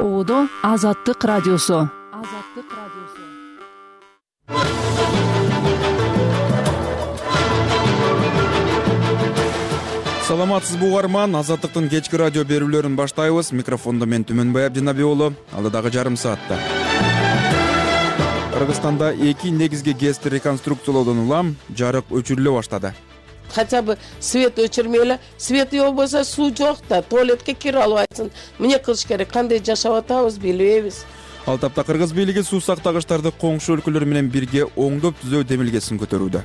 Оодо Азаттык радиосу. Саламатсызбы угарман, Азаттыктын кечки радио берүүлөрүн баштайбыз. Микрофондо мен Түмөнбай Абдинабий уулу. Алдыдагы жарым саатта Кыргызстанда 2 негизги ГЭСти реконструкциялоодон улам жарык өчүрүлө баштады. Хотя бы свет өчүрмөйлө, свет болбосо суу жок да, туалетке кире албайсың. Эмне кылыш керек, кандай жашап атабыз билбейбиз. Ал тапта кыргыз бийлиги суу сактагычтарды коңшу өлкөлөр менен бирге оңдоп түзөө демилгесин көтөрүүдө.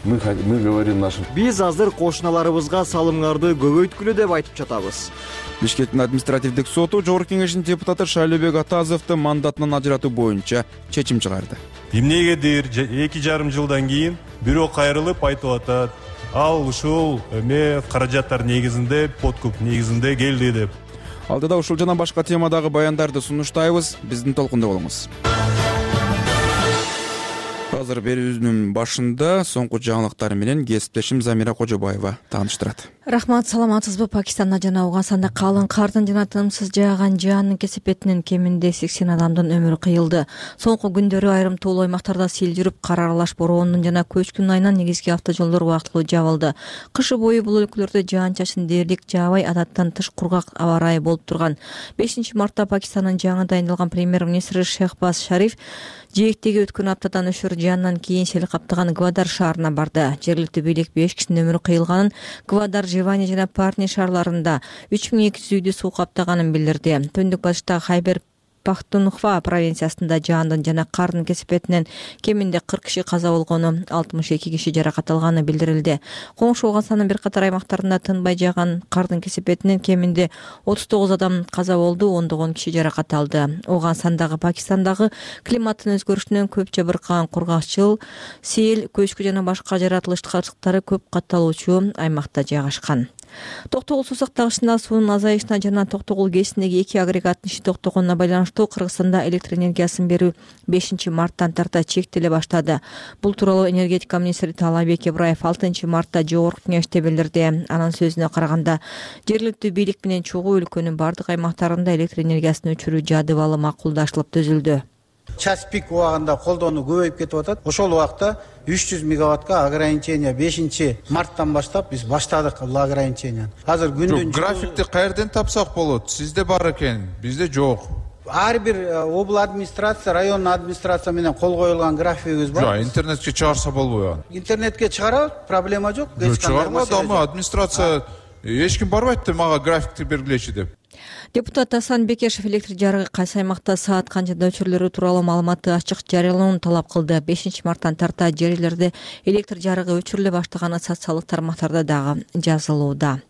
Мы говорим нашим. Биз азыр кошуналарыбызга салымдарды көбөйткүлө деп айтып жатабыз. Бишкектин административдик соту Жогорку Кеңештин депутаты Шайлообек Атазовду мандатынан ажыратуу боюнча чечим чыгарды. Эмнегедир 2,5 жылдан кийин бирөө кайрылып айтып атат, ал ушул каражаттар негизинде, подкуп негизинде келди деп. Алдыда ушул жана башка темадагы баяндарды сунуштайбыз. Биздин толкунда болуңуз. Азыр берүүбүздүн башында соңку жаңылыктар менен кесиптешим Замира Кожобаева тааныштырат. Рахмат, саламатсызбы? Пакистанда жана Ауганданда калың кардын жана тынымсыз жааган жаанын кесепетинен кеминде 80 адамдын өмүрү кыйылды. Соңку күндөрү айрым тоолуу аймактарда сел жүрүп, кар аралаш бороонун жана көчкүн айынан негизги автожолдор убактылуу жабылды. Кышы бою бул өлкөлөрдө жаан-чачын дээрлик жаабай, адаттан тыш кургак аба ырайы болуп турган. 5 мартта Пакистандын жаңы дайындалган премьер-министри Шехбаз Шариф жээктеги өткөн аптадан өшөр жаандан кийин сел каптаган Гвадар шаарына барды. Жергиликтүү бийлик 5 кишинин өмүрү кыйылганын, Гвадар, Живани жана Парни шаарларында 3200 үйдү суу каптаганын билдирди. Түндүк батыштагы Хайбер Пахтунхва провинциясында жаандын жана кардын кесепетинен кеминде 40 киши каза болгону, 62 киши жаракат алганы билдирилди. Коңшу Ауганстандын бир катар аймактарында тынбай жааган кардын кесепетинен кеминде 39 адам каза болду, 10 киши жаракат алды. Ауганстандагы Пакистандагы климаттын өзгөрүшүнөн көп жабыркаган кургакчыл, сел, көчкү жана башка жаратылыштары көп катталуучу аймакта жайгашкан. Токтогул суу сактагычында суунун азайышына жана Токтогул ГЭСиндеги 2 агрегаттын иши токтогонуна байланыштуу Кыргызстанда электр энергиясын берүү 5 марттан тарта чектеле баштады. Бул тууралуу энергетика министри Таалайбек Ибраев 6 мартта Жогорку Кеңеште билдирди. Анын сөзүнө караганда, жергиликтүү бийлик менен чогуу өлкөнүн бардык аймактарында электр энергиясын өчүрүү жадыбалы макулдашылып түзүлдү. Час пик убагында колдонуу көбөйүп кетип атат. Ошол убакта 300 мегаваттка ограничение 5 марттан баштап биз баштадык бул ограниченияны. Азыр күндүн графикти каерден тапсак болот? Сизде бар экен, бизде жок. Ар бир обл администрация, район администрация менен кол коюлган графигибиз бар. Интернетке чыгарса болбойбу? Интернетке чыгарат, проблема жок. Чыгармады, ама администрация эч ким барбайт да мага графикти бергилечи деп. Депутат Асан Бекешев электр жарыгы кайсы аймакта саат канчада өчүрүлөрү тууралуу маалыматты ачык жарыялоону талап кылды. 5 марттан тарта жерлерде электр жарыгы өчүрүлө баштаганы социалдык тармактарда дагы жазылууда.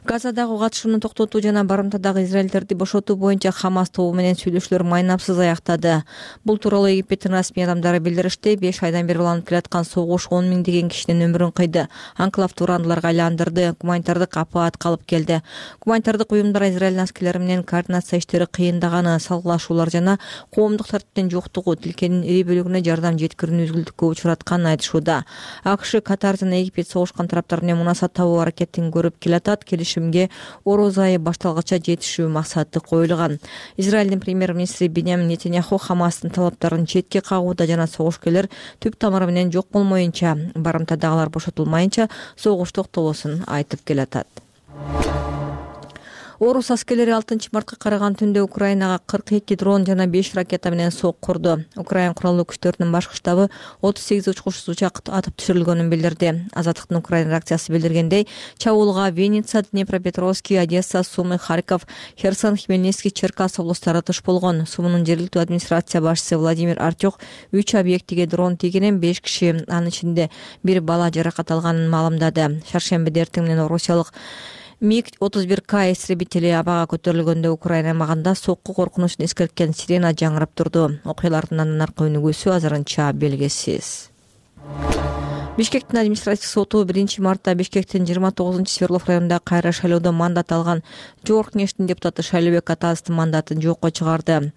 Газадагы катышууну токтотуу жана барымтадагы израилдерди бошотуу боюнча Хамас тобу менен сүйлөшүүлөр майнапсыз аяктады. Бул тууралуу Египтин расмий адамдары билдиришти. 5 айдан бери уланып келаткан согуш 10 миңдеген кишинин өмүрүн кыйды. Анклавды урандыларга айландырды. Гуманитардык апаат калып келди. Гуманитардык уюмдар Израиль аскерлери менен координация иштери кыйындаганы, салгылашуулар жана коомдук тартиптин жоктугу тилкенин ири бөлүгүнө жардам жеткирүүнү үзгүлтүккө учуратканын айтышууда. АКШ, Катар жана Египет согушкан тараптар менен мунасат табуу аракетин көрүп келатат. Келишимге ороз айы башталгача жетишүү максаты коюлган. Израилдин премьер-министри Биньямин Нетаньяху Хамастын талаптарын четке кагууда жана согушкерлер түп тамыры менен жок болмоюнча, барымтадагылар бошотулмайынча согуш токтобосун айтып келатат. Орус аскерлери 6 мартка караган түндө Украинага 42 дрон жана 5 ракета менен сок курду. Украин куралдуу күчтөрүнүн башкы штабы 38 учкучсуз учак атып түшүрүлгөнүн билдирди. Азаттыктын Украин реакциясы билдиргендей, чабуулга Винница, Днепропетровский, Одесса, Сумы, Харьков, Херсон, Хмельницкий, Черкас облустары туш болгон. Сумунун жергиликтүү администрация башчысы Владимир Артюк 3 объектиге дрон тийгенин, 5 киши, анын ичинде бир бала жаракат алганын маалымдады. Шаршембиде эртең менен Орусиялык МиГ-31К истребители абага көтөрүлгөндө Украина аймагында сокку коркунучун эскерткен сирена жаңырап турду. Окуялардын андан аркы өнүгүүсү азырынча белгисиз. Бишкектин административдик соту 1-мартта Бишкектин 29 Свердлов районунда кайра шайлоодо мандат алган Жогорку кеңештин депутаты Шайлообек Атазовдун мандатын жокко чыгарды.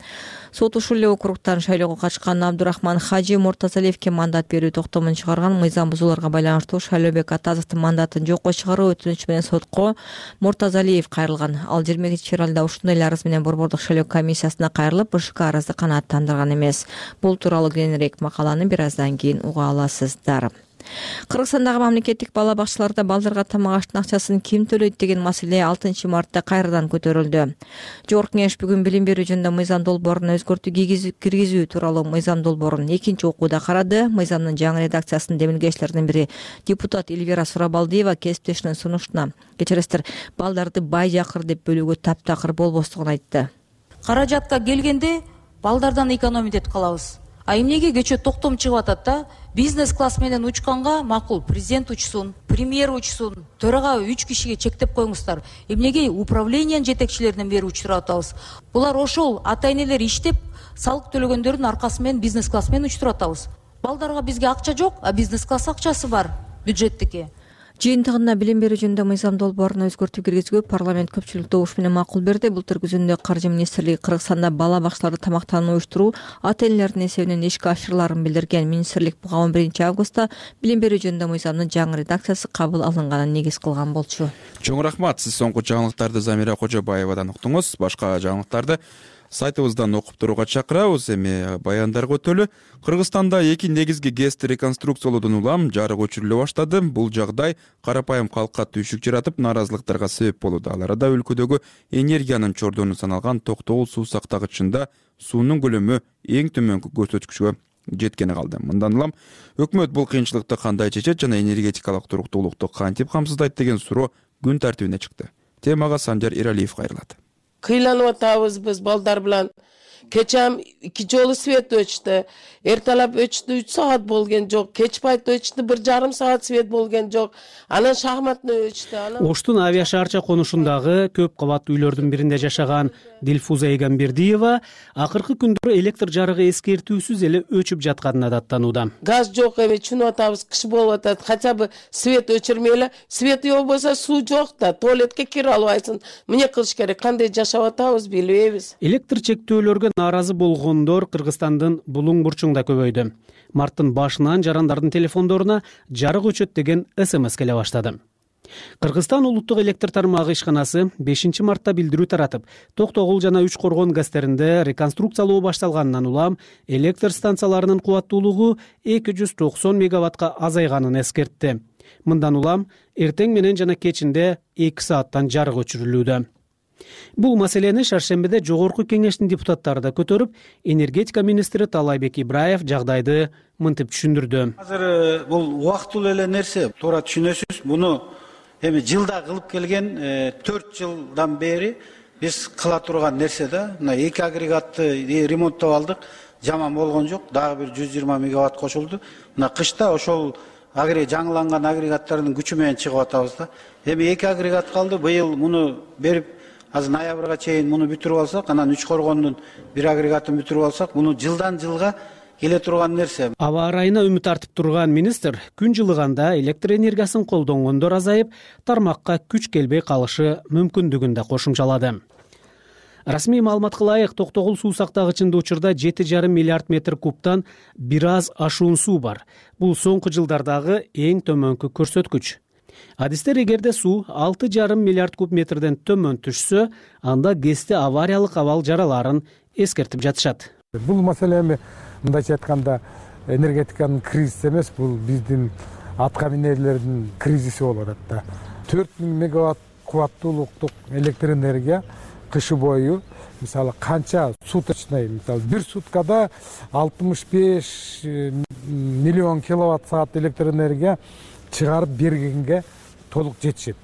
Сот ушул эле округтан шайлоого катышкан Абдурахман Хажи Муртазалиевке мандат берүү токтомун чыгарган. Мыйзам бузууларга байланыштуу Шайлообек Атазовдун мандатын жокко чыгаруу өтүнүчү менен сотко Муртазалиев кайрылган. Ал 20-февралда ушундай эле арыз менен Борбордук шайлоо комиссиясына кайрылып, БШК арызды канааттандырган эмес. Бул тууралуу кеңирээк макаланы бир аздан кийин уга аласыздар. Кыргызстандагы мамлекеттик бала бакчаларда балдарга тамак аштын акчасын ким төлөйт деген маселе 6-мартта кайрадан көтөрүлдү. Жогорку кеңеш бүгүн билим берүү жөнүндө мыйзам долбооруна өзгөртүү киргизүү тууралуу мыйзам долбоорун экинчи окууда карады. Мыйзамдын жаңы редакциясынын демилгечилеринин бири депутат Эльвира Сурабалдиева кесиптешинин сунуштуна кечиресиздер, балдарды бай жакыр деп бөлүүгө таптакыр болбостугун айтты. Каражатка келгенде балдардан экономить этип калабыз. А эмнеге кечээ токтом чыгып атат да? Бизнес класс менен учканга макул президент учсун, премьер учсун, төрага 3 кишиге чектеп коюңуздар. Эмнеге управлениянын жетекчилеринен бери учтуруп атабыз? Булар ошол ата-энелер иштеп, салык төлөгөндөрдүн аркасы менен бизнес класс менен учтуруп атабыз. Балдарга бизге акча жок, а бизнес класс акчасы бар, бюджеттики. Жыйынтыгында билим берүү жөнүндө мыйзам долбооруна өзгөртүү киргизүүгө парламент көпчүлүк добуш менен макул берди. Былтыр күзүндө Каржы министрлиги Кыргызстанда бала бакчаларда тамактануу уюштуруу ата-энелердин эсебинен ишке ашырыларын билдирген. Министрлик буга 11-августта билим берүү жөнүндө мыйзамдын жаңы редакциясы кабыл алынганын негиз кылган болчу. Чоң рахмат. Сиз соңку жаңылыктарды Замира Кожобаевадан уктуңуз. Башка жаңылыктарды сайтыбыздан окуп турууга чакырабыз. Эми баяндарга өтөлү. Кыргызстанда 2 негизги ГЭСти реконструкциялоодон улам жарык өчүрүлө баштады. Бул жагдай карапайым калкка түйшүк жаратып, нааразылыктарга себеп болууда. Ал арада өлкөдөгү энергиянын чордону саналган Токтогул суу сактагычында суунун көлөмү эң төмөнкү көрсөткүчкө жеткени калды. Мындан улам өкмөт бул кыйынчылыкты кандай чечет жана энергетикалык туруктуулукту кантип камсыздайт деген суроо күн тартибине чыкты. Темага Санжар Иралиев кайрылат. Кыйланып атабыз биз балдар менен. Кечем 2 жолу свет өчтү. Эртелеп өчтү 3 саат болгон жок. Кеч пайт өчтү 1,5 саат свет болгон жок. Анан шахматны өчтү. Оштун авиа шаарча конушундагы көп кабаттуу үйлөрдүн биринде жашаган Дилфуза Эгембердиева акыркы күндөрү электр жарыгы эскертүүсүз эле өчүп жатканына даттанууда. Газ жок эми чүнүп атабыз, кыш болуп атат. Хотя бы свет өчүрмөйлө. Свет болбосо суу жок да, туалетке кире албайсың. Эмне кылыш керек? Кандай жашап атабыз билбейбиз. Электр чектөөлөргө нааразы болгондор Кыргызстандын булуң бурчуңда көбөйдү. Марттын башынан жарандардын телефондоруна жарык өчөт деген СМС келе баштады. Кыргызстан улуттук электр тармагы ишканасы 5-мартта билдирүү таратып, Токтогул жана Үч Коргон гастеринде реконструкциялоо башталганынан улам электр станцияларынын кубаттуулугу 290 мегаваттка азайганын эскертти. Мындан улам эртең менен жана кечинде 2 сааттан жарык өчүрүлүүдө. Бул маселени шаршембиде Жогорку кеңештин депутаттары да көтөрүп, энергетика министри Талайбек Ибраев жагдайды мынтип түшүндүрдү. Азыр бул убактылуу эле нерсе, туура түшүнөсүз. Буну эми жылда кылып келген 4 жылдан бери биз кыла турган нерсе да. Мына 2 агрегатты ремонттоп алдык. Жаман болгон жок. Дагы бир 120 мегаватт кошулду. Мына кышта ошол жаңыланган агрегаттардын күчү менен чыгып атабыз да. Эми 2 агрегат калды. Быйыл муну берип азыр ноябрга чейин муну бүтүрүп алсак, анан Үч Коргондун бир агрегатын бүтүрүп алсак, муну жылдан жылга келе турган нерсе. Аба ырайына үмүт артып турган министр күн жылыганда электр энергиясын колдонгондор азайып, тармакка күч келбей калышы мүмкүндүгүн да кошумчалады. Расмий маалыматка ылайык, Токтогул суу сактагычында учурда 7,5 миллиард метр кубтан бир аз ашуун суу бар. Бул соңку жылдардагы эң төмөнкү көрсөткүч. Адистер эгерде суу 6,5 миллиард куб метрден төмөн түшсө, анда ГЭСте авариялык абал жараларын эскертип жатышат. Бул маселе эми мындайча айтканда энергетиканын кризиси эмес, бул биздин атка минерлердин кризиси болуп атат да. 4000 мегаватт кубаттуулуктук электр энергия кышы бою мисалы канча суточный, мисалы бир суткада 65 миллион киловатт саат электр энергия чыгарып бергенге толук жетишет.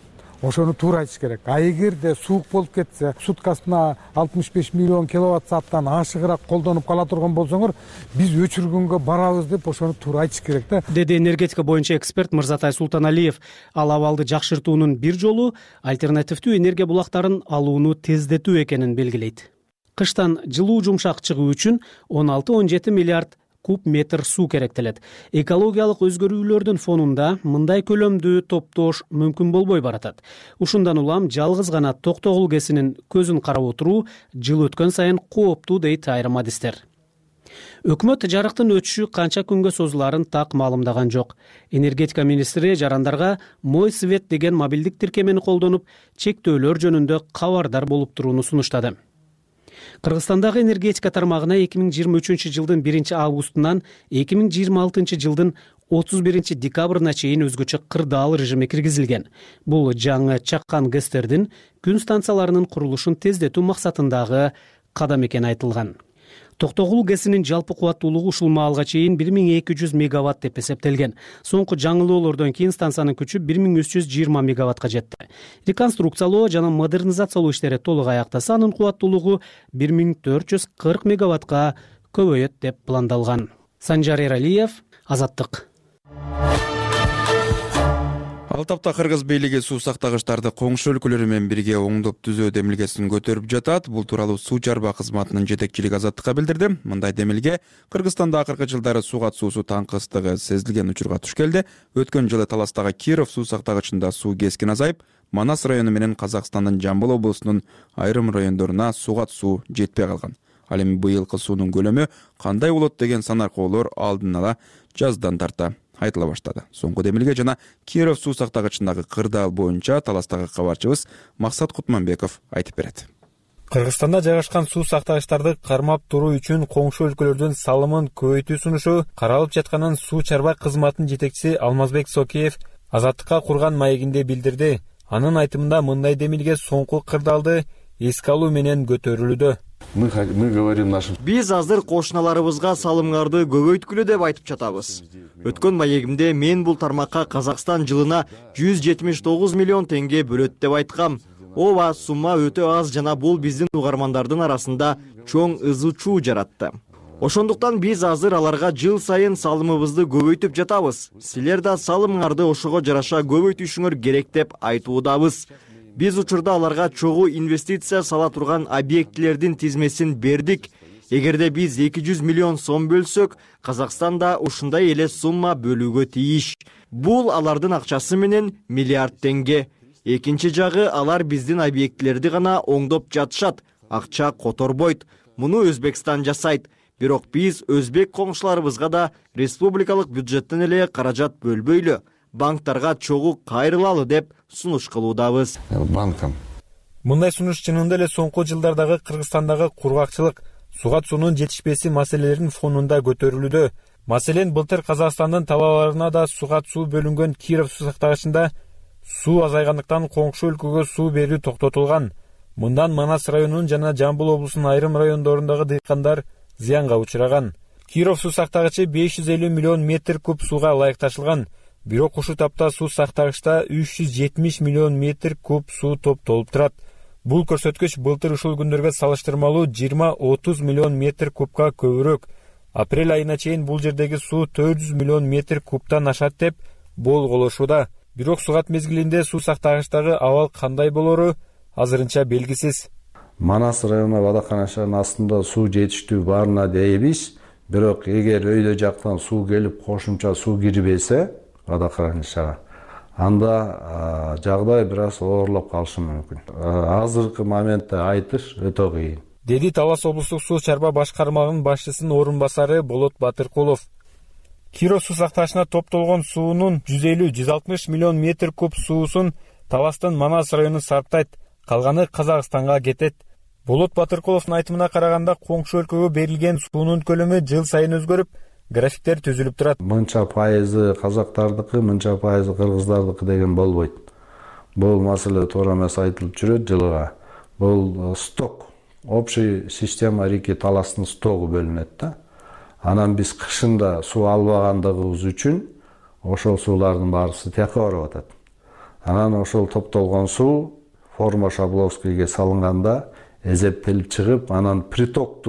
Ошону туура айтыш керек. А эгерде суук болуп кетсе, суткасына 65 миллион киловатт сааттан ашыгыраак колдонуп кала турган болсоңор, биз өчүргөнгө барабыз деп ошону туура айтыш керек да. Деди энергетика боюнча эксперт Мырзатай Султаналиев. Ал абалды жакшыртуунун бир жолу альтернативдүү энергия булактарын алууну тездетүү экенин белгилейт. Кыштан жылуу жумшак чыгуу үчүн 16-17 миллиард куб метр суу керектелет. Экологиялык өзгөрүүлөрдүн фонунда мындай көлөмдү топтош мүмкүн болбой баратат. Ушундан улам жалгыз гана Токтогул КЭСинин көзүн карап отуруу жыл өткөн сайын кооптуу дейт айрым адистер. Өкмөт жарыктын өчүшү канча күнгө созуларын так маалымдаган жок. Энергетика министри жарандарга Мой свет деген мобилдик тиркемени колдонуп, чектөөлөр жөнүндө кабардар болуп турууну сунуштады. Кыргызстандагы энергетика тармагына 2023 жылдын 1 августунан 2026 жылдын 31 декабрына чейин өзгөчө кырдаал режими киргизилген. Бул жаңы чаккан ГЭСтердин күн станцияларынын курулушун тездетүү максатындагы кадам экени айтылган. Токтогул КЭСинин жалпы кубаттуулугу ушул маалга чейин 1200 мегаватт деп эсептелген. Соңку жаңылоолордон кийин станциянын күчү 1320 мегаваттка жетти. Реконструкциялоо жана модернизациялоо иштери толук аяктаса, анын кубаттуулугу 1440 мегаваттка көбөйөт деп пландалган. Санжар Эралиев, Азаттык. Ал тапта кыргыз бийлиги суу сактагычтарды коңшу өлкөлөр менен бирге оңдоп түзөө демилгесин көтөрүп жатат. Бул тууралуу суу чарба кызматынын жетекчилиги Азаттыкка билдирди. Мындай демилге Кыргызстанда акыркы жылдары сууга суусу таңкыстыгы сезилген учурга туш келди. Өткөн жылы Таластагы Киров суу сактагычында суу кескин азайып, Манас району менен Казакстандын Жамбыл облусунун айрым райондоруна сууга суу жетпей калган. Ал эми быйылкы суунун көлөмү кандай болот деген санаркоолор алдын ала жаздан тарта айтыла баштады. Соңку демилге жана Киров суу сактагычындагы кырдаал боюнча Таластагы кабарчыбыз Максат Кутманбеков айтып берет. Кыргызстанда жайгашкан суу сактагычтарды кармап туруу үчүн коңшу өлкөлөрдүн салымын көбөйтүү сунушу каралып жатканын суу чарба кызматынын жетекчиси Алмазбек Сокеев Азаттыкка курган маегинде билдирди. Анын айтымында мындай демилге соңку кырдаалды эске алуу менен көтөрүлүүдө. Мы говорим нашим. Биз азыр кошуналарыбызга салымдарды көбөйткүлө деп айтып жатабыз. Өткөн маегимде мен бул тармакка Казакстан жылына 179 миллион теңге бөлөт деп айткам. Ооба, сумма өтө аз жана бул биздин угармандардын арасында чоң ызы чуу жаратты. Ошондуктан биз азыр аларга жыл сайын салымыбызды көбөйтүп жатабыз. Силер да салымыңарды ошого жараша көбөйтүшүңөр керек деп айтуудабыз. Биз учурда аларга чогуу инвестиция сала турган объектилердин тизмесин бердик. Эгерде биз 200 миллион сом бөлсөк, Казакстан да ушундай эле сумма бөлүүгө тийиш. Бул алардын акчасы менен миллиард теңге. Экинчи жагы, алар биздин объектилерди гана оңдоп жатышат, акча которбойт. Муну Өзбекстан жасайт. Бирок биз өзбек коңшуларыбызга да республикалык бюджеттен эле каражат бөлбөйлү. Банктарга чогуу кайрылалы деп сунуш кылуудабыз. Банкам. Мындай сунуш чынында эле соңку жылдардагы Кыргызстандагы кургакчылык, суга суунун жетишпеси маселелеринин фонунда көтөрүлүүдө. Маселен, былтыр Казакстандын талааларына да суга суу бөлүнгөн Киров суу сактагычында суу азайгандыктан коңшу өлкөгө суу берүү токтотулган. Мындан Манас районунун жана Жамбыл облусунун айрым райондорундагы дыйкандар зыянга учураган. Киров суу сактагычы 550 миллион метр куб сууга ылайыкташылган. Бирок ушул тапта суу сактагычта 370 миллион метр куб суу топтолуп турат. Бул көрсөткүч былтыр ушул күндөргө салыштырмалуу 20-30 миллион метр кубка көбүрөөк. Апрель айына чейин бул жердеги суу 400 миллион метр кубтан ашат деп болголошууда. Бирок сугат мезгилинде суу сактагычтагы абал кандай болору азырынча белгисиз. Манас району Бадаканашанын астында суу жетиштүү барына дейбиз. Бирок эгер өйдө жактан суу келип кошумча суу кирбесе, Бадаканашага, анда жагдай бир аз оорлоп калышы мүмкүн. Азыркы моментте айтыш өтө кыйын. Деди Талас облустук суу чарба башкармагынын башчысынын орун басары Болот Батыркулов. Киров суу сактагычына топтолгон суунун 150-160 миллион метр куб суусун Таластын Манас району сарптайт, калганы Казакстанга кетет. Болот Батыркуловдун айтымына караганда, коңшу өлкөгө берилген суунун көлөмү жыл сайын өзгөрүп, графиктер түзүлүп турат. Мынча пайызы казактардыкы, мынча пайызы кыргыздардыкы деген болбойт. Бул маселе туура эмес айтылып жүрөт жылга. Бул сток, общий система реки Таластын стогу бөлүнөт да. Анан биз кышында суу албагандыгыбыз үчүн ошол суулардын баарысы тияка барып атат. Анан ошол топтолгон суу форма Шабловскийге салынганда эзептелип чыгып, анан приток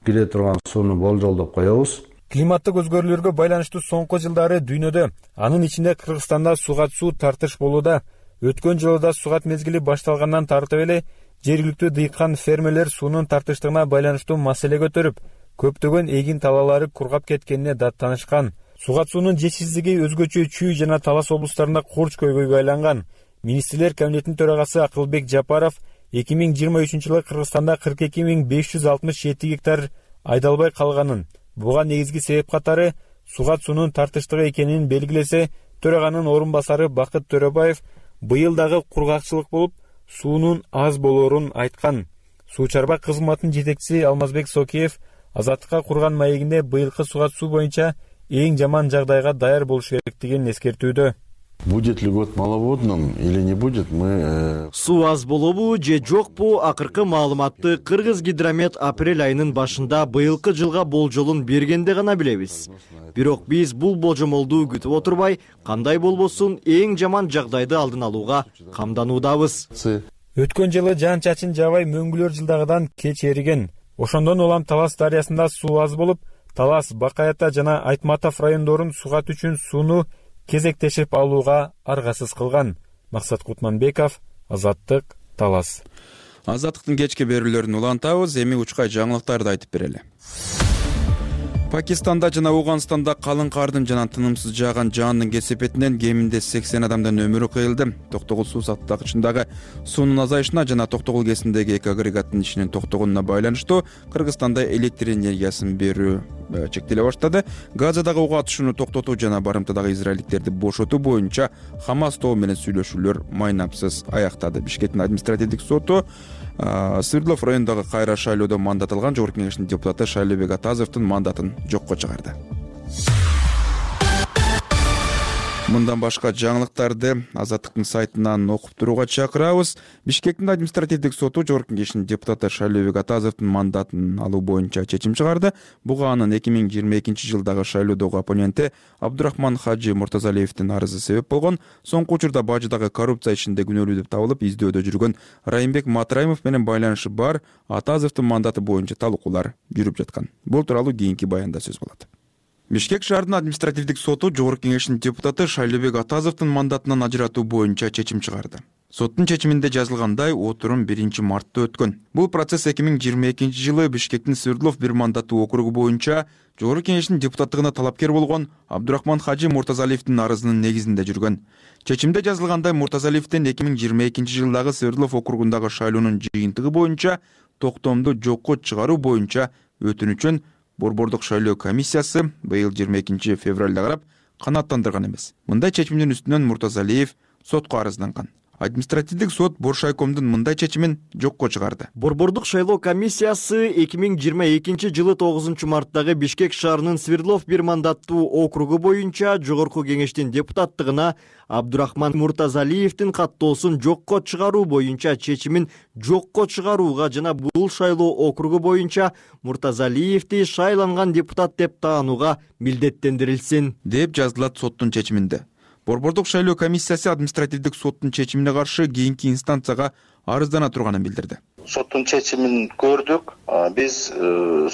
кире турган сууну болжолдоп коебуз. Климаттык өзгөрүүлөргө байланыштуу соңку жылдары дүйнөдө, анын ичинде Кыргызстанда сугат суу тартыш болууда. Өткөн жылы да сугат мезгили башталгандан тартып эле жергиликтүү дыйкан фермерлер суунун тартыштыгына байланыштуу маселе көтөрүп, көптөгөн эгин талаалары кургап кеткенине даттанышкан. Сугат суунун жетишсиздиги өзгөчө Чүй жана Талас облустарында курч көйгөйгө айланган. Министрлер кабинетинин төрагасы Акылбек Жапаров 2023-жылы Кыргызстанда 42.567 гектар айдалбай калганын, буга негизги себеп катары сугат суунун тартыштыгы экенин белгилесе, төраганын орун басары Бакыт Төрөбаев быйыл дагы кургакчылык болуп, суунун аз болоорун айткан. Суу чарба кызматынын жетекчиси Алмазбек Сокеев Азаттыкка курган маегинде быйылкы сугат суу боюнча эң жаман жагдайга даяр болуш керектигин эскертүүдө. Будет ли год маловодным или не будет, мы... Суу аз болобу же жокпу, акыркы маалыматты Кыргызгидромет апрель айынын башында быйылкы жылга болжолун бергенде гана билебиз. Бирок биз бул болжомолду күтүп отурбай, кандай болбосун эң жаман жагдайды алдын алууга камдануудабыз. Өткөн жылы жаан-чачын жаабай мөңгүлөр жылдагыдан кеч эриген. Ошондон улам Талас дарыясында суу аз болуп, Талас, Бакаята жана Айтматов райондорун сугат үчүн сууну кезектешип алууга аргасыз кылган. Максат Кутманбеков, Азаттык, Талас. Азаттыктын кечки берүүлөрүн улантабыз, эми учкай жаңылыктарды айтып берели. Пакистанда жана Ауганстанда калың кардын жана тынымсыз жааган жаандын кесепетинен кеминде 80 адамдын өмүрү кыйылды. Токтогул суу сактагычындагы суунун азайышына жана Токтогул кесиндеги эки агрегаттын ишинин токтогонуна байланыштуу Кыргызстанда электр энергиясын берүү чектеле баштады. Газадагы ок атышууну токтотуу жана барымтадагы израилдиктерди бошотуу боюнча Хамас тобу менен сүйлөшүүлөр майнапсыз аяктады. Бишкектин административдик соту Свердлов районундагы кайра шайлоодо мандат алган Жогорку Кеңештин депутаты Шайлообек Атазовдун мандатын жокко чыгарды. Мындан башка жаңылыктарды Азаттыктын сайтынан окуп турууга чакырабыз. Бишкектин административдик соту Жогорку Кеңештин депутаты Шайлообек Атазовдун мандатын алуу боюнча чечим чыгарды. Буга анын 2022-жылдагы шайлоодогу оппоненти Абдурахман Хажи Муртазалиевдин арызы себеп болгон. Соңку учурда бажыдагы коррупция ишинде күнөөлүү деп табылып, издөөдө жүргөн Райымбек Матраимов менен байланышы бар Атазовдун мандаты боюнча талкуулар жүрүп жаткан. Бул тууралуу кийинки баянда сөз болот. Бишкек шаарынын административдик соту Жогорку Кеңештин депутаты Шайлообек Атазовдун мандатынан ажыратуу боюнча чечим чыгарды. Соттун чечиминде жазылгандай, отурум 1-мартта өткөн. Бул процесс 2022-жылы Бишкектин Свердлов бир мандаттуу округу боюнча Жогорку Кеңештин депутаттыгына талапкер болгон Абдурахман Хажи Муртазалиевдин арызынын негизинде жүргөн. Чечимде жазылгандай, Муртазалиевдин 2022-жылдагы Свердлов округундагы шайлоонун жыйынтыгы боюнча токтомду жокко чыгаруу боюнча өтүнүчүн Борбордук шайлоо комиссиясы быйыл 22 февралда карап канааттандырган эмес. Мындай чечимдин үстүнөн Муртазалиев сотко арызданган. Административдик сот Боршайкомдун мындай чечимин жокко чыгарды. Борбордук шайлоо комиссиясы 2022-жылы 9 марттагы Бишкек шаарынын Свердлов бир мандаттуу округу боюнча Жогорку Кеңештин депутаттыгына Абдурахман Муртазалиевдин каттоосун жокко чыгаруу боюнча чечимин жокко чыгарууга жана бул шайлоо округу боюнча Муртазалиевди шайланган депутат деп таанууга милдеттендирилсин, деп жазылат соттун чечиминде. Борбордук шайлоо комиссиясы административдик соттун чечимине каршы кийинки инстанцияга арыздана турганын билдирди. Соттун чечимин көрдүк. Биз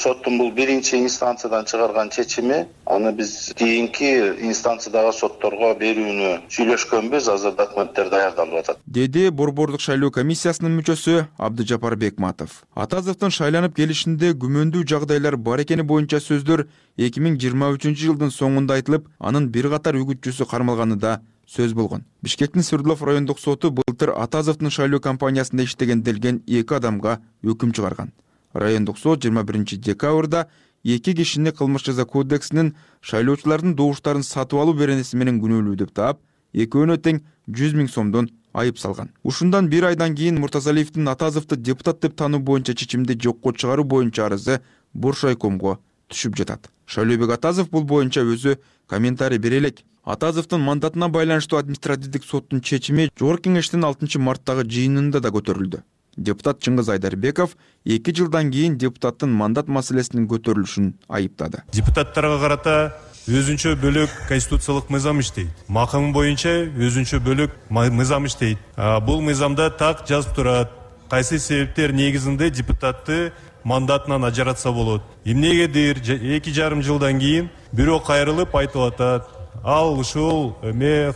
соттун бул биринчи инстанциядан чыгарган чечими, аны биз кийинки инстанциядагы сотторго берүүнү сүйлөшкөнбүз. Азыр документтер даярдалып атат, деди Борбордук шайлоо комиссиясынын мүчөсү Абдыжапар Бекматов. Атазовдун шайланып келишинде күмөндүү жагдайлар бар экени боюнча сөздөр 2023-жылдын соңунда айтылып, анын бир катар үгүтчүсү кармалганы да сөз болгон. Бишкектин Свердлов райондук соту былтыр Атазовдун шайлоо компаниясында иштеген делген 2 адамга өкүм чыгарган. Райондук сот 21 декабрда 2 кишини кылмыш жаза кодексинин шайлоочулардын добуштарын сатып алуу беренеси менен күнөөлүү деп таап, экөөнө тең 100 000 сомдон айып салган. Ушундан бир айдан кийин Муртазалиевдин Атазовду депутат деп таануу боюнча чечимди жокко чыгаруу боюнча арызы Боршайкомго түшүп жатат. Шайлообек Атазов бул боюнча өзү комментарий бере элек. Атазовдун мандатына байланыштуу административдик соттун чечими Жогорку Кеңештин 6 марттагы жыйынында да көтөрүлдү. Депутат Чыңгыз Айдарбеков 2 жылдан кийин депутаттын мандат маселесинин көтөрүлүшүн айыптады. Депутаттарга карата өзүнчө бөлөк конституциялык мыйзам иштейт. Макам боюнча өзүнчө бөлөк мыйзам иштейт. Бул мыйзамда так жазып турат, кайсы себептер негизинде депутатты мандатынан ажыратса болот. Эмнегедир 2,5 жылдан кийин бирөө кайрылып айтып атат, ал ушул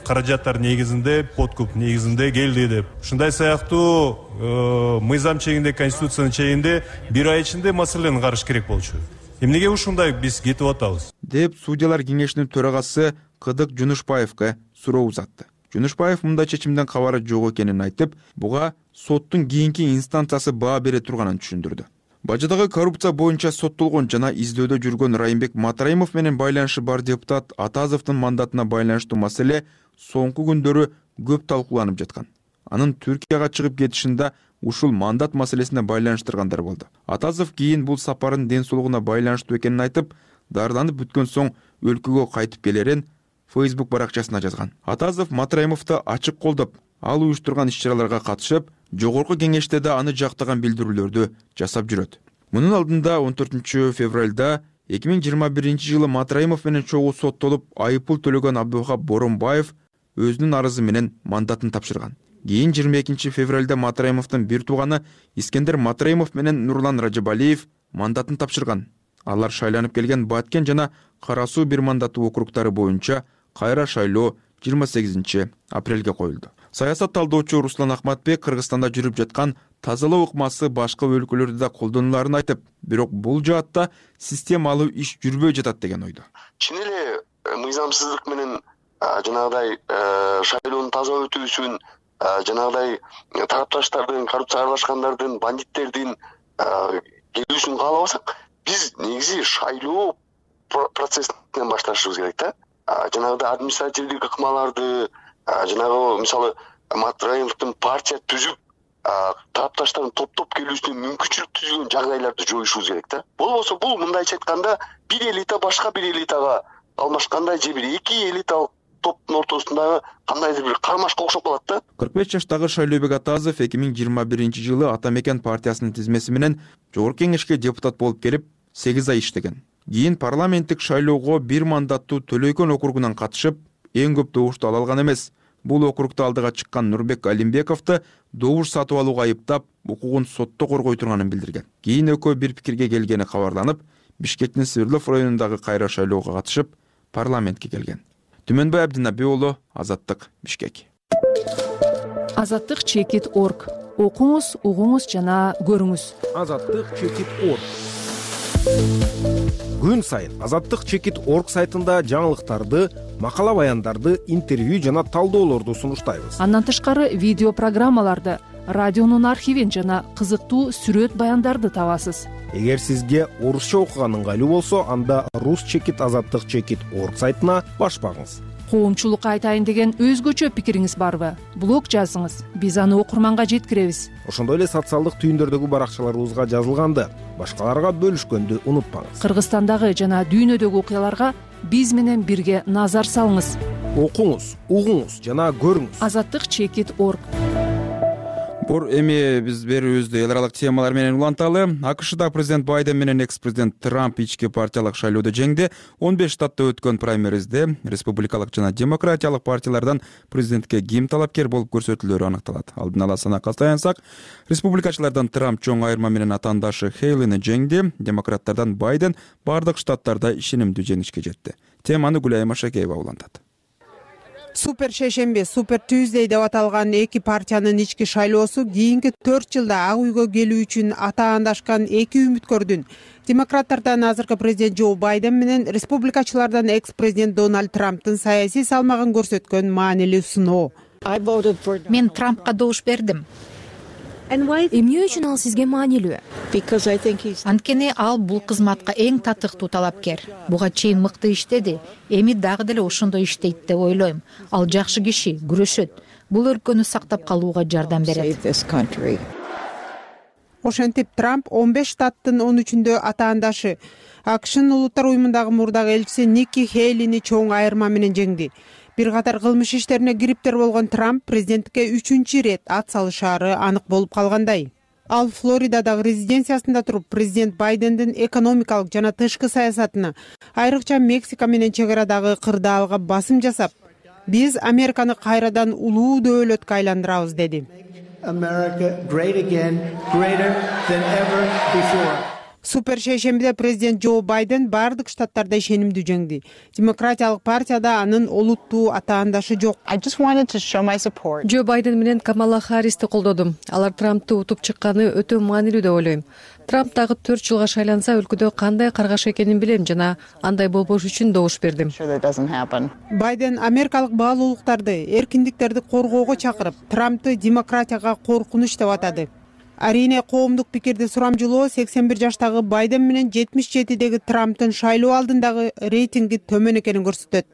каражаттар негизинде, подкуп негизинде келди деп. Ушундай сыяктуу мыйзам чегинде, конституциянын чегинде бир ай ичинде маселени караш керек болчу. Эмнеге ушундай биз кетип атабыз деп судьялар кеңешинин төрагасы Кыдык Жунушбаевга суроо узатты. Жунушбаев мындай чечимден кабары жок экенин айтып, буга соттун кийинки инстанциясы баа бере турганын түшүндүрдү. Бажыдагы коррупция боюнча соттолгон жана издөөдө жүргөн Райымбек Матраимов менен байланышы бар депутат Атазовдун мандатына байланыштуу маселе соңку күндөрү көп талкууланып жаткан. Анын Түркияга чыгып кетишинде ушул мандат маселесине байланыштыргандар болду. Атазов кийин бул сапарын ден соолугуна байланыштуу экенин айтып, дарыланып бүткөн соң өлкөгө кайтып келерин Facebook баракчасына жазган. Атазов Матраимовду ачык колдоп, ал уюштурган иш-чараларга катышып, жогорку кеңеште да аны жактаган билдирүүлөрдү жасап жүрөт. Мунун алдында 14 февралда 2021 жылы Матраимов менен чогуу соттолуп, айыппул төлөгөн Абдывахап Боронбаев өзүнүн арызы менен мандатын тапшырган. Кийин 22 февралда Матраимовдун бир тууганы Искендер Матраимов менен Нурлан Ражабалиев мандатын тапшырган. Алар шайланып келген Баткен жана Кара Суу бир мандаттуу округтары боюнча кайра шайлоо 28 апрелге коюлду. Саясат талдоочу Руслан Ахматбек Кыргызстанда жүрүп жаткан тазалоо ыкмасы башка өлкөлөрдө да колдонуларын айтып, бирок бул жаатта системалуу иш жүрбөй жатат деген ойдо. Чын эле мыйзамсыздык менен жанагыдай шайлоонун таза өтүүсүн, жанагыдай тарапташтардын, коррупцияга аралашкандардын, бандиттердин келүүсүн каалабасак, биз негизи шайлоо процессинен башташыбыз керек да. Жанагыдай административдик ыкмаларды, жанагы мисалы Матраимовдун партия түзүп, тарапташтардын топтоп келүүсүнө мүмкүнчүлүк түзгөн жагдайларды жоюшубуз керек да. Болбосо бул мындайча айтканда бир элита башка бир элитага алмашкандай же бир эки элиталык топтун ортосундагы кандайдыр бир кармашка окшоп калат да. 45 жаштагы Шайлообек Атазов 2021 жылы Ата Мекен партиясынын тизмеси менен жогорку кеңешке депутат болуп келип 8 ай иштеген. Кийин парламенттик шайлоого бир мандаттуу Төлөйкөн округунан катышып, эң көп добушту ала алган эмес. Бул округда алдыга чыккан Нурбек Алимбековду добуш сатып алууга айыптап, укугун сотто коргой турганын билдирген. Кийин экөө бир пикирге келгени кабарланып, Бишкектин Свердлов районундагы кайра шайлоого катышып, парламентке келген. Түмөнбай Абдинабий уулу, Азаттык, Бишкек. Азаттык.org. Окуңуз, угуңуз жана көрүңүз. Азаттык.org. Күн сайын Азаттык.org сайтында жаңылыктарды, макала баяндарды, интервью жана талдоолорду сунуштайбыз. Андан тышкары видео программаларды, радионун архивин жана кызыктуу сүрөт баяндарды табасыз. Эгер сизге орусча окуган ыңгайлуу болсо, анда Azаттык.org сайтына баш багыңыз. Коомчулукка айтайын деген өзгөчө пикириңиз барбы? Блог жазыңыз, биз аны окурманга жеткиребиз. Ошондой эле социалдык түйүндөрдөгү баракчаларыбызга жазылганды, башкаларга бөлүшкөндү унутпаңыз. Кыргызстандагы жана дүйнөдөгү окуяларга биз менен бирге назар салыңыз. Окуңуз, угуңуз жана көрүңүз. Azаттык.org. Эми биз берүүбүздү эл аралык темалар менен уланталы. АКШда президент Байден менен экс-президент Трамп ички партиялык шайлоодо жеңди. 15 штатта өткөн праймеризде республикалык жана демократиялык партиялардан президентке ким талапкер болуп көрсөтүлөрү аныкталат. Алдын ала санакка таянсак, республикачылардан Трамп чоң айырма менен атаандашы Хейлини жеңди. Демократтардан Байден бардык штаттарда ишенимдүү жеңишке жетти. Теманы Гүлайым Машакеева улантат. Супер шейшемби, Супер Tuesday деп аталган эки партиянын ички шайлоосу кийинки 4 жылда Ак үйгө келүү үчүн атаандашкан эки үмүткөрдүн демократтардан азыркы президент Джо Байден менен республикачылардан экс-президент Дональд Трамптын саясий салмагын көрсөткөн маанилүү сыноо. Мен Трампка добуш бердим. Эмне үчүн ал сизге маанилүү? Анткени ал бул кызматка эң татыктуу талапкер. Буга чейин мыкты иштеди. Эми дагы деле ошондой иштейт деп ойлойм. Ал жакшы киши, күрөшөт. Бул өлкөнү сактап калууга жардам берет. Ошентип Трамп 15 штаттын 13-үндө атаандашы АКШнын улуттар уюмундагы мурдагы элчиси Ники Хейлини чоң айырма менен жеңди. Бир катар кылмыш иштерине кириптер болгон Трамп президенттикке 3-чү рет ат салышаары анык болуп калгандай. Ал Флоридадагы резиденциясында туруп президент Байдендин экономикалык жана тышкы саясатына, айрыкча Мексика менен чек арадагы кырдаалга басым жасап, биз Американы кайрадан улуу дөөлөткө айландырабыз деди. Супер шейшембиде президент Джо Байден бардык штаттарда ишенимдүү жеңди. Демократиялык партияда анын олуттуу атаандашы жок. Джо Байден менен Камала Харристи колдодум. Алар Трампты утуп чыкканы өтө маанилүү деп ойлойм. Трамп дагы 4 жылга шайланса өлкөдө кандай каргаш экенин билем жана андай болбош үчүн добуш бердим. Байден америкалык баалуулуктарды, эркиндиктерди коргоого чакырып, Трампты демократияга коркунуч деп атады. Арине коомдук пикирди сурамжылоо 81 жаштагы Байден менен 77деги Трамптын шайлоо алдындагы рейтинги төмөн экенин көрсөтөт.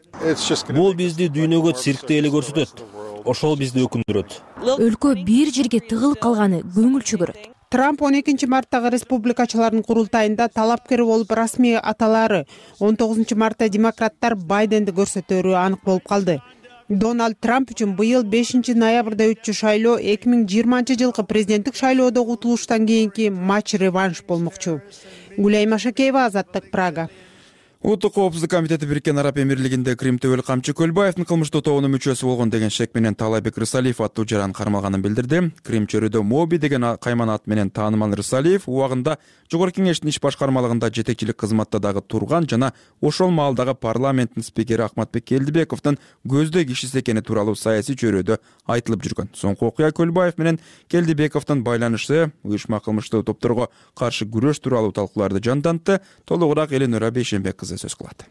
Бул бизди дүйнөгө циркте эле көрсөтөт. Ошол бизди өкүндүрөт. Өлкө бир жерге тыгылып калганы көңүл чөгөрөт. Трамп 12 марттагы республикачылардын курултайында талапкер болуп расмий аталары, 19 мартта демократтар Байденди көрсөтөрү анык болуп калды. Дональд Трамп үчүн быйыл 5 ноябрда өтчү шайлоо 2020 жылкы президенттик шайлоодогу утулуштан кийинки матч-реванш болмокчу. Гүлай Машакеева, Азаттык, Прага. Улуттук коопсуздук комитети Бириккен Араб Эмирлигинде Крим төбөл камчы Көлбаевдин кылмыштуу тобунун мүчөсү болгон деген шек менен Таалайбек Рысалиев аттуу жаран кармалганын билдирди. Крим чөрүдө Моби деген кайман ат менен таанымал Рысалиев убагында Жогорку Кеңештин иш башкармалыгында жетекчилик кызматта дагы турган жана ошол маалдагы парламенттин спикери Акматбек Келдибековдун көздөй кишиси экени тууралуу саясий чөрөдө айтылып жүргөн. Соңку окуя Көлбаев менен Келдибековдун байланышы, уюшма кылмыштуу топторго каршы күрөш тууралуу талкууларды жандантты. Толугураак Эленора Бейшенбек сөз кылат.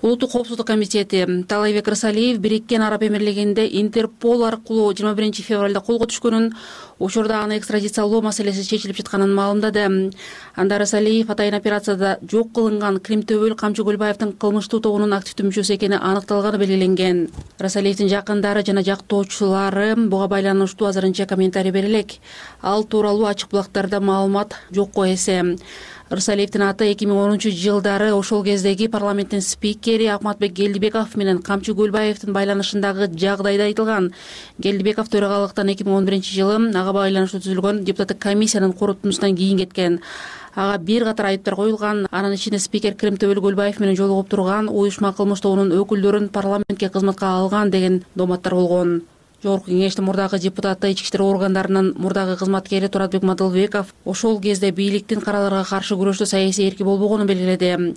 Улуттук коопсуздук комитети Таалайбек Рысалиев Бириккен Араб Эмирлигинде Интерпол аркылуу 21 февралда колго түшкөнүн, учурда аны экстрадициялоо маселеси чечилип жатканын маалымдады. Анда Рысалиев атайын операцияда жок кылынган Крим төбөл камчы Көлбаевдин кылмыштуу тобунун активдүү мүчөсү экени аныкталганы белгиленген. Рысалиевдин жакындары жана жактоочулары буга байланыштуу азырынча комментарий бере элек. Ал тууралуу ачык булактарда маалымат жокко эсе. Рысалиевдин аты 2010 жылдары ошол кездеги парламенттин спикери Акматбек Келдибеков менен камчы Көлбаевдин байланышындагы жагдайда айтылган. Келдибеков төрагалыктан 2011 жылы ага байланыштуу түзүлгөн депутаттык комиссиянын корутундусунан кийин кеткен. Ага бир катар айыптар коюлган. Анын ичинде спикер Крим төбөл Көлбаев менен жолугуп турган, уюшма кылмыш тобунун өкүлдөрүн парламентке кызматка алган деген доматтар болгон. Жогорку Кеңештин мурдагы депутаты, ички иштер органдарынын мурдагы кызматкери Туратбек Мадылбеков ошол кезде бийликтин караларга каршы күрөштө саясий эрки болбогонун белгиледи.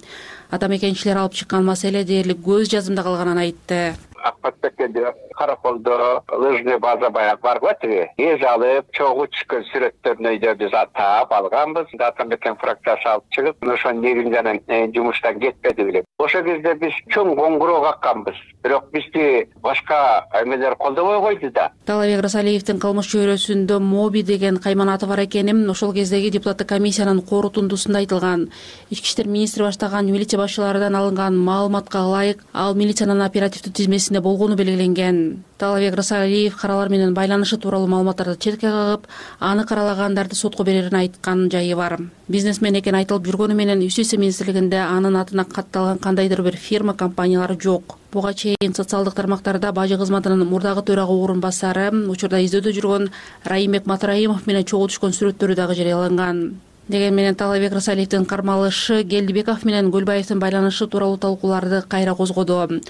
Атамекенчилер алып чыккан маселе дээрлик көз жазымда калганын айтты. Акматбекке караколдо лыжный база баягы бар го тиги. Эз алып, чогуу түшкөн сүрөттөрүн өйдө биз таап алганбыз. Атамекен фракциясы алып чыгып, ошо негизинен жумуштан кетпеди биле. Ошол кезде биз чоң коңгуроо какканбыз. Бирок бизди башка эмелер колдобой койду да. Таалайбек Рысалиевдин кылмыш чөйрөсүндө Моби деген кайман аты бар экени ошол кездеги депутаттык комиссиянын корутундусунда айтылган. Ички иштер министри баштаган милиция башчыларынан алынган маалыматка ылайык, ал милициянын оперативдүү тизмесинде болгону белгиленген. Таалайбек Рысалиев каралар менен байланышы тууралуу маалыматтарды четке кагып, аны каралагандарды сотко берерин айткан жайы бар. Бизнесмен экени айтылып жүргөнү менен Юстиция министрлигинде анын атына катталган кандайдыр бир фирма компаниялары жок. Буга чейин социалдык тармактарда бажы кызматынын мурдагы төрага орун басары, учурда издөөдө жүргөн Раимбек Матраимов менен чогуу түшкөн сүрөттөрү дагы жарыяланган. Деген менен Таалайбек Рысалиевдин кармалышы Келдибеков менен Көлбаевдин байланышы тууралуу талкууларды кайра козгоду.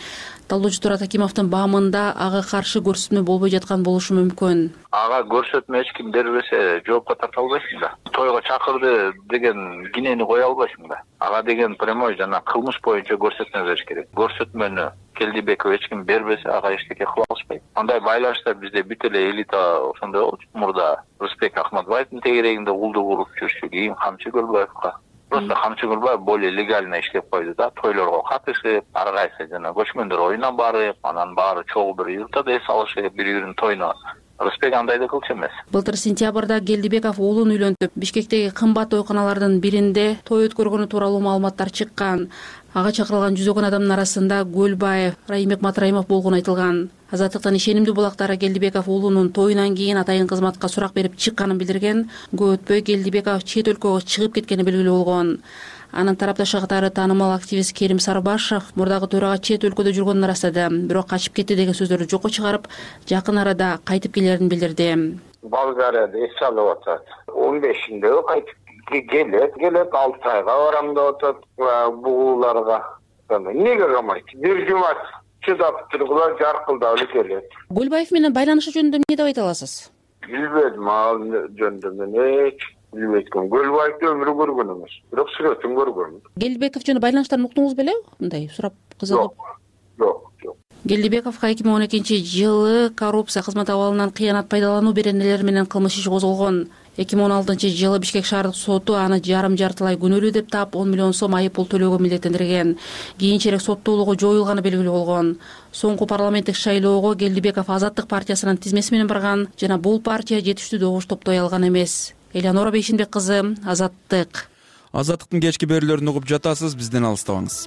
Талдоочу Турат Акимовдун баамында ага каршы көрсөтмө болбой жаткан болушу мүмкүн. Ага көрсөтмө эч ким бербесе жоопко тарта албайсың да. Тойго чакырды деген кинени кое албайсың да. Ага деген прямой жана кылмыш боюнча көрсөтмө бериш керек. Көрсөтмөнү Келдибеков эч ким бербесе ага эчтеке кыла алышпайт. Андай байланыштар бизде бүт эле элита ошондой болчу. Мурда Рысбек Ахматбаевдин тегерегинде улду куруп жүрчү, кийин камчы Көлбаевга. Просто камчы Көлбаев более легально иштеп койду да. Тойлорго катышып, ар кайсы жана көчмөндөр оюна барып, анан баары чогуу бир юртада эс алышып, бири-биринин тоюна. Рысбек андайды кылчу эмес. Былтыр сентябрда Келдибеков уулун үйлөнтүп, Бишкектеги кымбат тойканалардын биринде той өткөргөнү тууралуу маалыматтар чыккан. Ага чакырылган жүзөгөн адамдын арасында Көлбаев, Раимбек Матраимов болгону айтылган. Азаттыктын ишенимдүү булактары Келдибеков уулунун тоюнан кийин атайын кызматка сурак берип чыкканын билдирген. Көп өтпөй Келдибеков чет өлкөгө чыгып кеткени белгилүү болгон. Анын тарапташы катары таанымал активист Керим Сарбашев мурдагы төрага чет өлкөдө жүргөнүн ырастады, бирок качып кетти деген сөздөрдү жокко чыгарып, жакын арада кайтып келерин билдирди. Болгарияда эс алып атат. 15-нде кайтып келет 6 айга барам деп атат бугуларга. Неге камайт? Бир жумат чыдап тургула жаркылдап эле келет. Көлбаев менен байланышы жөнүндө эмне деп айта аласыз? Билбедим ал жөнүндө мен билбейт экенмин. Көлбаевди өмүрү көргөн эмес, бирок сүрөтүн көргөн. Келдибекович жана байланыштарын уктуңуз беле? Мындай сурап кызыгып. Жок. Келдибековго 2012-жылы коррупция кызмат абалынан кыянат пайдалануу беренелери менен кылмыш иши козголгон. 2016-жылы Бишкек шаардык соту аны жарым-жартылай күнөөлүү деп таап 10 миллион сом айып пул төлөөгө милдеттендирген. Кийинчерээк соттуулугу жоюлганы белгилүү болгон. Соңку парламенттик шайлоого Келдибеков Азаттык партиясынын тизмеси менен барган жана бул партия жетиштүү добуш топтой алган эмес. Элеонора Бейшенбек кызы, Азаттык. Азаттыктын кечки берүүлөрүн угуп жатасыз, бизден алыстабаңыз.